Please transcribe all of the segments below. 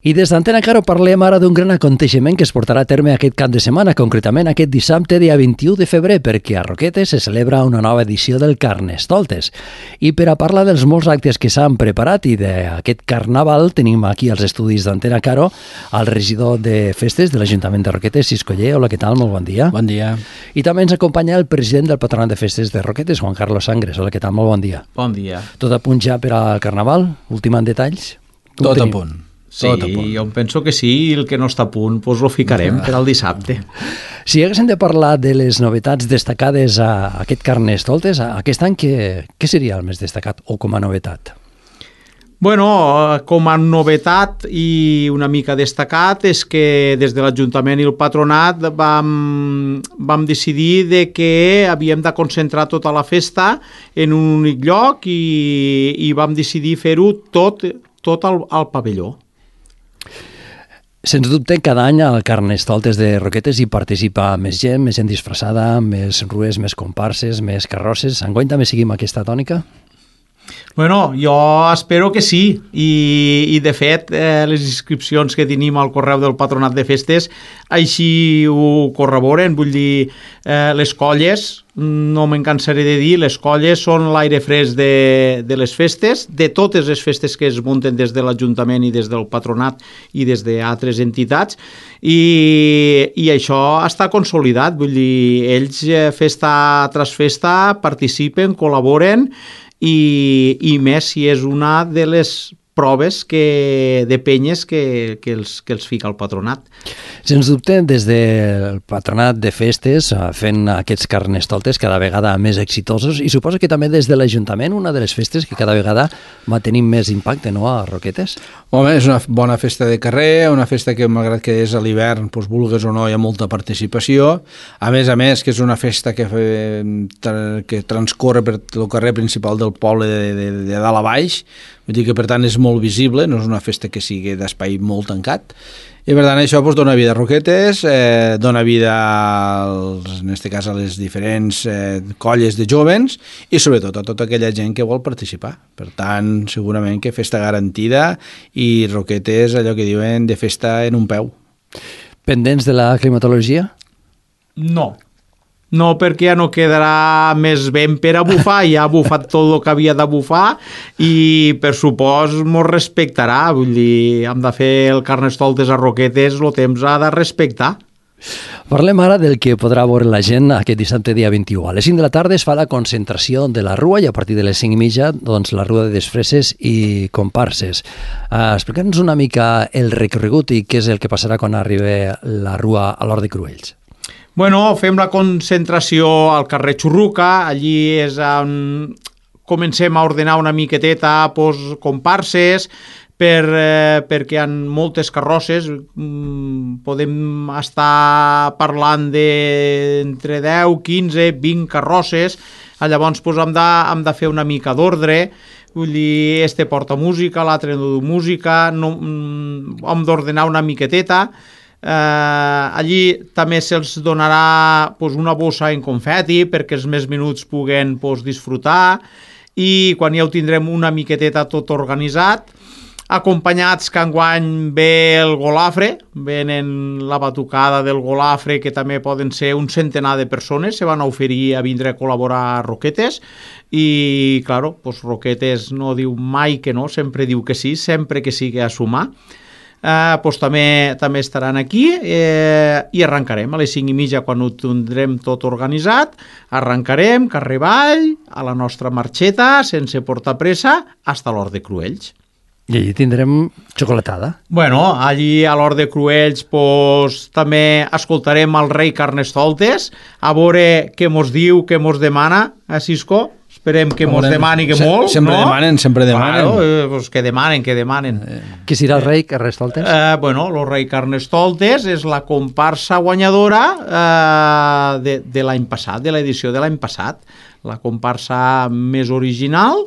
I des d'Antena Caro parlem ara d'un gran aconteixement que es portarà a terme aquest cap de setmana, concretament aquest dissabte, dia 21 de febrer, perquè a Roquetes se celebra una nova edició del Carnestoltes. I per a parlar dels molts actes que s'han preparat i d'aquest carnaval, tenim aquí als estudis d'Antena Caro el regidor de festes de l'Ajuntament de Roquetes, Cisco Oller. Hola, què tal? Molt bon dia. Bon dia. I també ens acompanya el president del Patronat de Festes de Roquetes, Juan Carlos Sangres. Hola, què tal? Molt bon dia. Bon dia. Tot a punt ja per al carnaval? Ultimant detalls? Tot a punt. Sí, jo penso que sí, i el que no està a punt doncs lo ficarem per al dissabte. Si haguéssim de parlar de les novetats destacades a aquest Carnestoltes, aquest any què seria el més destacat o com a novetat? Bueno, com a novetat i una mica destacat és que des de l'Ajuntament i el Patronat vam decidir de que havíem de concentrar tota la festa en un únic lloc i vam decidir fer-ho tot al pavelló. Sens dubte, cada any al Carnestoltes de Roquetes hi participa més gent disfressada, més rues, més comparses, més carrosses. Enguany també seguim aquesta tònica? Bueno, jo espero que sí, i de fet les inscripcions que tenim al correu del Patronat de Festes així ho corroboren. Vull dir, les colles, no me'n cansaré de dir, les colles són l'aire fresc de les festes, de totes les festes que es munten des de l'Ajuntament i des del Patronat i des d'altres entitats, i això està consolidat. Vull dir, ells festa tras festa participen, col·laboren, i més si és una de les proves de penyes que els fica el Patronat. Sens dubte, des del Patronat de Festes, fent aquests Carnestoltes cada vegada més exitosos, i suposo que també des de l'Ajuntament, una de les festes que cada vegada va tenir més impacte, no?, a Roquetes. Home, és una bona festa de carrer, una festa que, malgrat que és a l'hivern, doncs, vulgues o no, hi ha molta participació. A més, que és una festa que transcorre per el carrer principal del poble de dalt a baix, vull dir que, per tant, és molt visible, no és una festa que sigui d'espai molt tancat, i per tant això dona vida a Roquetes, dona vida en aquest cas a les diferents colles de jovens i sobretot a tota aquella gent que vol participar. Per tant, segurament que festa garantida i Roquetes, allò que diuen, de festa en un peu. Pendents de la climatologia? No, perquè ja no quedarà més vent per a bufar, ja ha bufat tot el que havia de bufar i per supost mos respectarà. Vull dir, hem de fer el Carnestoltes a Roquetes, el temps ha de respectar. Parlem ara del que podrà veure la gent aquest dissabte dia 21. A les 5 de la tarda es fa la concentració de la rua i a partir de les 5:30 doncs, la rua de disfresses i comparses. Explica'ns una mica el recorregut i què és el que passarà quan arribi la rua a l'Hort de Cruells. Bueno, fem la concentració al carrer Xurruca, allí és on comencem a ordenar una miqueteta comparses, perquè hi ha moltes carrosses, podem estar parlant d'entre 10, 15, 20 carrosses, llavors hem de fer una mica d'ordre, vull dir, este porta música, l'altre no du música, hem d'ordenar una miqueteta. Allí també se'ls donarà una bossa en confeti perquè els més minuts puguen disfrutar, i quan ja ho tindrem una miqueteta tot organitzat, acompanyats que enguany ve el golafre, venen la batucada del golafre, que també poden ser un centenar de persones, se van a oferir a vindre a col·laborar a Roquetes, i claro, Roquetes no diu mai que no, sempre diu que sí, sempre que sigui a sumar. També estaran aquí i arrencarem a les 5:30 quan ho tindrem tot organitzat, arrencarem carrer avall a la nostra marxeta sense portar pressa fins a l'Hort de Cruells. I allí tindrem xocolatada. Bueno, allí a l'Hort de Cruells també escoltarem el rei Carnestoltes, a veure què mos diu, què mos demana, Cisco. Esperem que mos demani que molt, sempre no? Sempre demanen. Bueno, que demanen. Qui serà el rei Carnestoltes? Bueno, el rei Carnestoltes és la comparsa guanyadora de l'any passat, de l'edició de l'any passat. La comparsa més original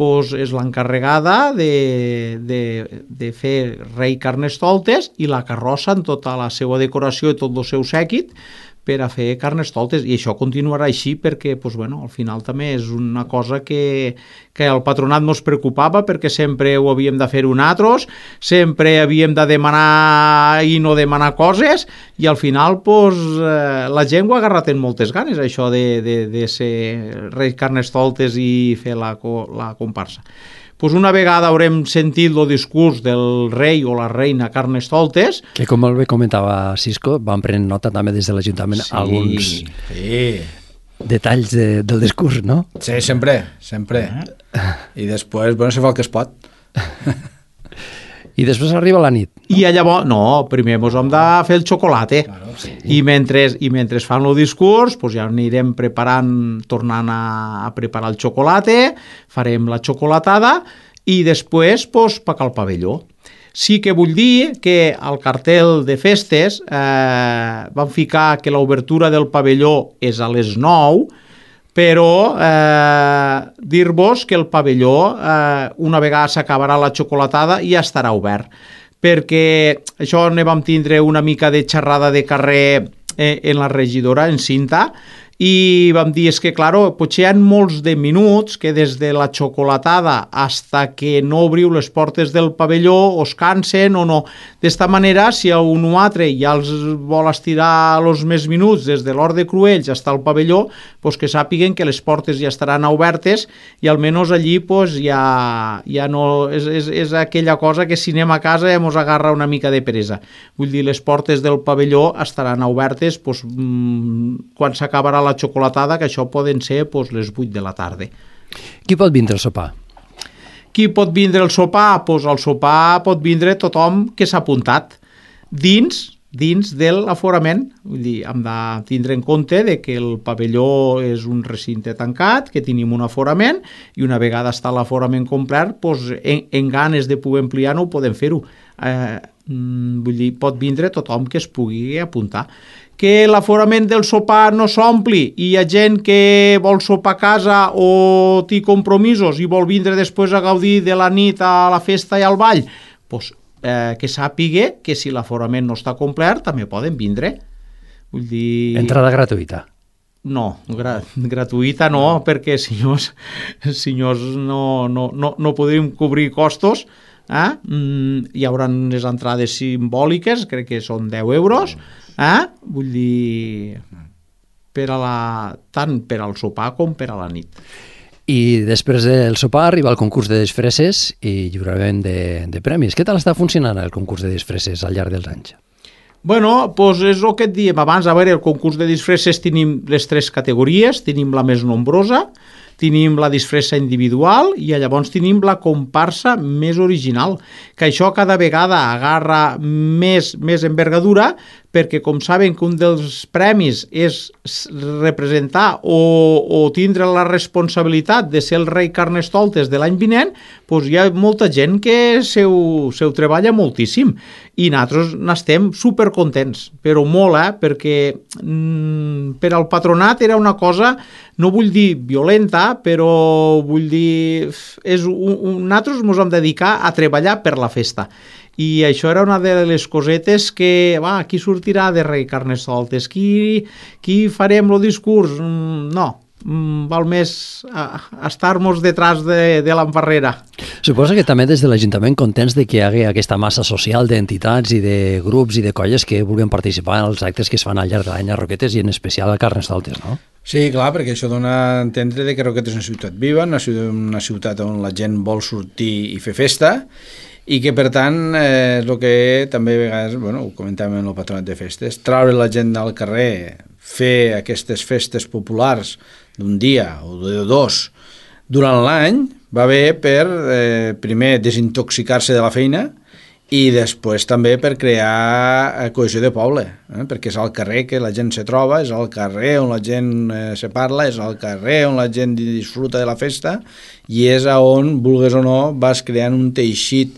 és l'encarregada de fer rei Carnestoltes, i la carrossa en tota la seva decoració i tot el seu sèquit per a fer carnestoltes, i això continuarà així perquè al final també és una cosa que el patronat ens preocupava, perquè sempre ho havíem de fer nosaltres, sempre havíem de demanar i no demanar coses, i al final la gent ho ha agarrat en moltes ganes, això de ser reis carnestoltes i fer la comparsa. Una vegada haurem sentit el discurs del rei o la reina Carnestoltes, que com molt bé comentava Cisco, van prenent nota també des de l'Ajuntament alguns detalls del discurs, no? Sí, sempre. I després, se fa el que es pot. I després arriba la nit. No? I llavors, primer ens hem de fer el xocolate. Claro, sí. I mentre fan el discurs, ja anirem tornant a preparar el xocolate, farem la xocolatada i després pagar el pavelló. Sí que vull dir que al cartel de festes van ficar que l'obertura del pavelló és a les 9, però dir-vos que el pavelló, una vegada s'acabarà la xocolatada, ja estarà obert, perquè això ne vam tindre una mica de xerrada de carrer en la regidora, en Cinta, i vam dir, és que, claro, potser hi ha molts de minuts que des de la xocolatada hasta que no obriu les portes del pavelló os cansen o no. D'esta manera, si un o altre ja els vol estirar els més minuts des de l'Hort de Cruells fins al pavelló, que sàpiguen que les portes ja estaran obertes i almenys allí ja no... És aquella cosa que si anem a casa ja mos agarra una mica de peresa. Vull dir, les portes del pavelló estaran obertes quan s'acabarà la xocolatada, que això poden ser les 8 de la tarda. Qui pot vindre al sopar? Qui pot vindre al sopar? Al sopar pot vindre tothom que s'ha apuntat dins de l'aforament. Vull dir, hem de tindre en compte que el pavelló és un recinte tancat, que tenim un aforament, i una vegada està l'aforament complet, en ganes de poder ampliar-ho, podem fer-ho. Vull dir, pot vindre tothom que es pugui apuntar. Que l'aforament del sopar no s'ompli i hi ha gent que vol sopar a casa o té compromisos i vol vindre després a gaudir de la nit, a la festa i al ball, que sàpiga que si l'aforament no està complet també poden vindre. Vull dir... Entrada gratuïta? No, gratuïta no, perquè senyors no podríem cobrir costos. Hi haurà les entrades simbòliques, crec que són 10 euros, vull dir, tant per al sopar com per a la nit. I després del sopar arriba el concurs de disfresses i lliurament de premis. Què tal està funcionant el concurs de disfresses al llarg dels anys? És el que et diem abans. A veure, el concurs de disfresses tenim les 3 categories, tenim la més nombrosa, tenim la disfressa individual i llavors tenim la comparsa més original, que això cada vegada agarra més envergadura, perquè com saben que un dels premis és representar o tindre la responsabilitat de ser el rei Carnestoltes de l'any vinent, hi ha molta gent que se ho treballa moltíssim i nosaltres n'estem supercontents, però molt, perquè per al patronat era una cosa, no vull dir violenta, però vull dir nosaltres ens hem dedicar a treballar per la festa. I això era una de les cosetes que, qui sortirà de rei Carnestoltes? Qui farem el discurs? No, val més estar-nos detrás de l'emparrera. Suposo que també des de l'Ajuntament contents de que hi hagi aquesta massa social d'entitats i de grups i de colles que vulguin participar en els actes que es fan al llarg de l'any a Roquetes i en especial a Carnestoltes, no? Sí, clar, perquè això dona a entendre que Roquetes és una ciutat viva, una ciutat on la gent vol sortir i fer festa, i que per tant és el que també a vegades, ho comentàvem en el patronat de festes, treure la gent al carrer, fer aquestes festes populars d'un dia o de 2 durant l'any, va bé per primer desintoxicar-se de la feina i després també per crear cohesió de poble, perquè és al carrer que la gent se troba, és al carrer on la gent se parla, és al carrer on la gent disfruta de la festa i és on, vulgues o no, vas creant un teixit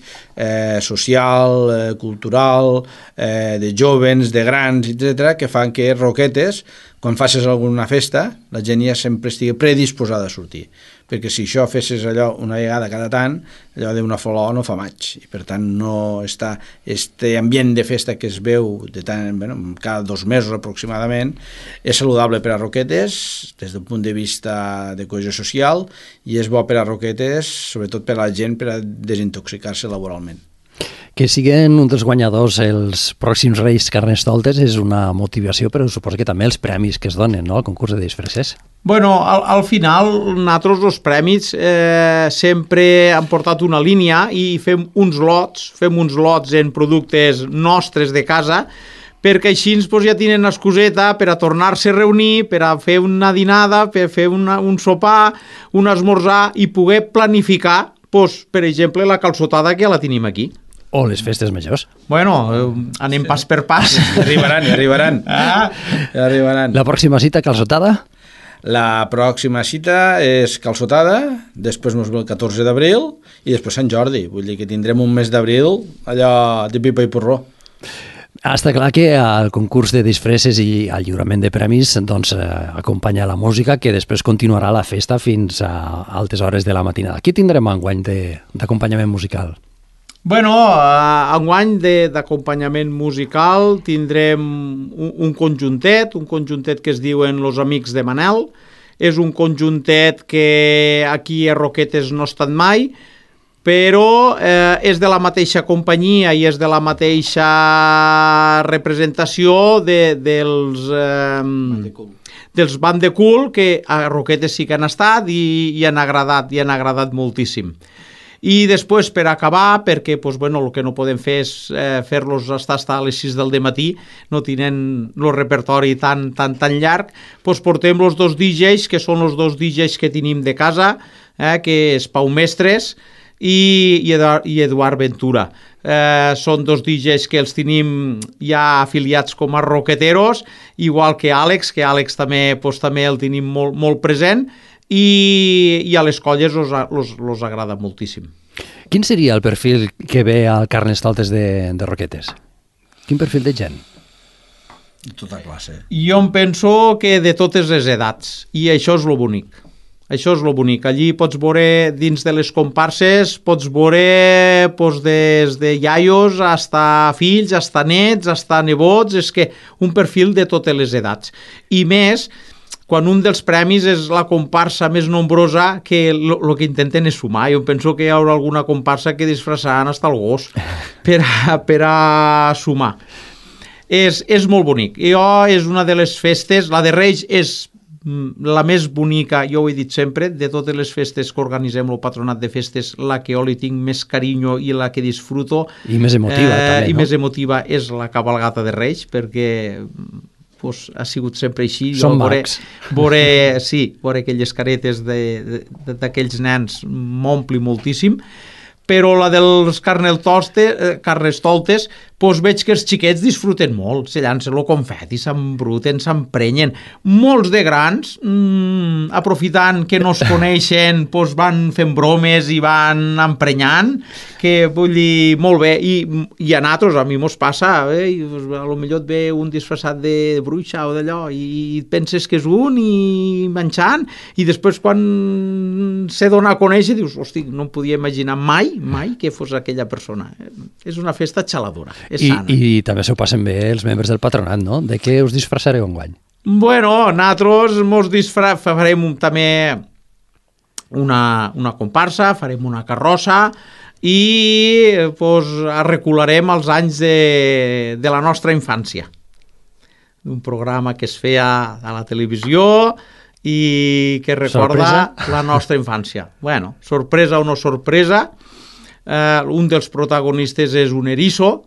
social, cultural, de jovens, de grans, etc., que fan que Roquetes, quan facis alguna festa, la gent ja sempre estigui predisposada a sortir. perquè si això fessis allò una vegada cada tant, allò d'una flor no fa maig, i per tant no està este ambient de festa que es veu de tant, bueno, cada 2 mesos aproximadament, és saludable per a Roquetes des del punt de vista de cohesió social, i és bo per a Roquetes, sobretot per a la gent, per a desintoxicar-se laboralment. Que siguin un dels guanyadors els pròxims Reis Carnestoltes és una motivació, però suposo que també els premis que es donen, no?, al concurs de disfresses. Bueno, al final, nosaltres els premis sempre han portat una línia i fem uns lots en productes nostres de casa, perquè així ja tenen excuseta per a tornar-se a reunir, per a fer una dinada, per a fer un sopar, un esmorzar i poder planificar, per exemple, la calçotada que ja la tenim aquí. O les festes majors. Bueno, anem pas per pas. Arribaran. Arribaran. La pròxima cita, calçotada? La pròxima cita és calçotada, després mos ve el 14 d'abril i després Sant Jordi. Vull dir que tindrem un mes d'abril allò de pipa i porró. Està clar que al concurs de disfresses i al lliurament de premis doncs, acompanya la música, que després continuarà la festa fins a altes hores de la matinada. Qui tindrem enguany d'acompanyament musical? Bueno, enguany d'acompanyament musical tindrem un conjuntet que es diuen Los Amics de Manel. És un conjuntet que aquí a Roquetes no ha estat mai, però és de la mateixa companyia i és de la mateixa representació dels Band de Cul, que a Roquetes sí que han estat i han agradat moltíssim. I després, per acabar, perquè el que no podem fer és fer-los estar a les 6 del matí, no tenen el repertori tan llarg, portem els 2 DJs, que són els 2 DJs que tenim de casa, que és Pau Mestres i Eduard Ventura. Són 2 DJs que els tenim ja afiliats com a roqueteros, igual que Àlex també el tenim molt present, i a les colles els agrada moltíssim. Quin seria el perfil que ve al Carnestoltes de Roquetes? Quin perfil de gent? De tota classe. Jo em penso que de totes les edats, i això és lo bonic. Allí pots veure, dins de les comparses, pots veure des de iaios hasta fills, hasta nets, hasta nebots, és que un perfil de totes les edats. I més, quan un dels premis és la comparsa més nombrosa, que el que intenten és sumar. Jo penso que hi haurà alguna comparsa que disfressaran hasta el gos per a sumar. És molt bonic. És una de les festes, la de Reis és la més bonica, jo ho he dit sempre, de totes les festes que organitzem el Patronat de Festes, la que jo li tinc més carinyo i la que disfruto. I més emotiva, també, no? I més emotiva és la cabalgata de Reis, perquè ha sigut sempre així. Són macs. Veure aquelles caretes d'aquells nens m'ompli moltíssim, però la dels Carnestoltes veig que els xiquets disfruten molt, se llancen el confeti, s'embruten, s'emprenyen. Molts de grans, aprofitant que no es coneixen, van fent bromes i van emprenyant, que vull dir, molt bé. I a nosaltres, a mi mos passa, a lo millor et ve un disfressat de bruixa o d'allò i penses que és un i menjant, i després quan se dona a conèixer dius, hosti, no em podia imaginar mai que fos aquella persona. És una festa xaladora. I també s'ho passen bé els membres del patronat, no? De què us disfressareu enguany? Bueno, nosaltres farem també una comparsa, farem una carrossa i arrecularem els anys de la nostra infància. Un programa que es feia a la televisió i que recorda la nostra infància. Bueno, sorpresa o no sorpresa, un dels protagonistes és un eriço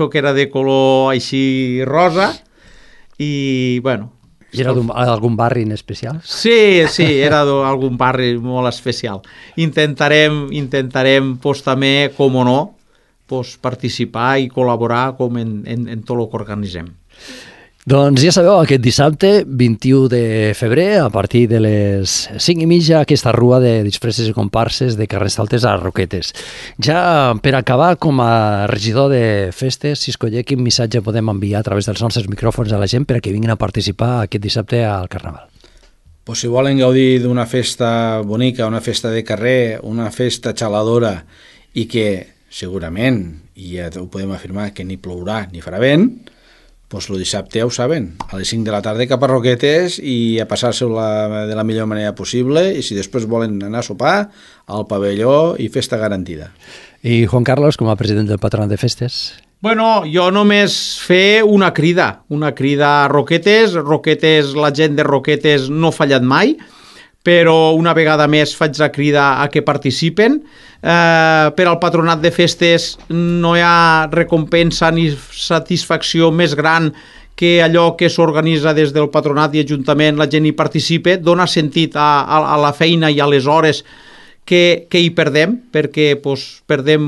que era de color així rosa i, bueno... I era d'algun barri en especial? Sí, era d'algun barri molt especial. Intentarem també, com o no, participar i col·laborar com en tot el que organitzem. Doncs ja sabeu, aquest dissabte, 21 de febrer, a partir de les 5:30, aquesta rua de disfresses i comparses de Carnestoltes a Roquetes. Ja per acabar, com a regidor de festes, si escolleu quin missatge podem enviar a través dels nostres micròfons a la gent per a que vinguin a participar aquest dissabte al Carnaval. Pues si volen gaudir d'una festa bonica, una festa de carrer, una festa xaladora i que segurament, i ja ho podem afirmar, que ni plourà ni farà vent, pues el dissabte ja ho saben, a les 5 de la tarda cap a Roquetes i a passar-se-ho de la millor manera possible, i si després volen anar a sopar, al pavelló i festa garantida. I Juan Carlos, com a president del Patronat de Festes? Bueno, jo només fer una crida a Roquetes. Roquetes, la gent de Roquetes no ha fallat mai, però una vegada més faig la crida a que participen. Per al Patronat de Festes no hi ha recompensa ni satisfacció més gran que allò que s'organitza des del Patronat i Ajuntament, la gent hi participa, dona sentit a la feina i a les hores que hi perdem, perquè perdem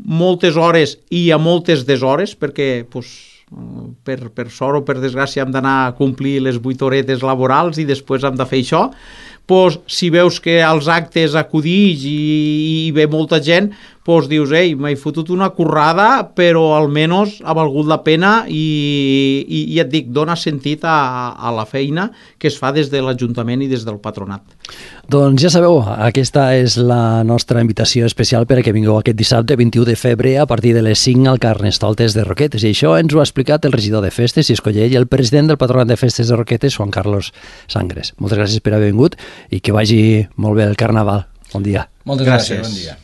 moltes hores i a moltes deshores, perquè per sort o per desgràcia hem d'anar a complir les 8 horetes laborals i després hem de fer això. Si veus que als actes acudix i ve molta gent, dius, m'he fotut una currada, però almenys ha valgut la pena i ja et dic, dona sentit a la feina que es fa des de l'Ajuntament i des del Patronat. Doncs ja sabeu, aquesta és la nostra invitació especial per a que vingueu aquest dissabte 21 de febrer a partir de les 5 al Carnestoltes de Roquetes. I això ens ho ha explicat el regidor de Festes, Xisco Llei, i el president del Patronat de Festes de Roquetes, Juan Carlos Sangres. Moltes gràcies per haver vingut i que vagi molt bé el Carnaval. Bon dia. Moltes gràcies. Bon dia.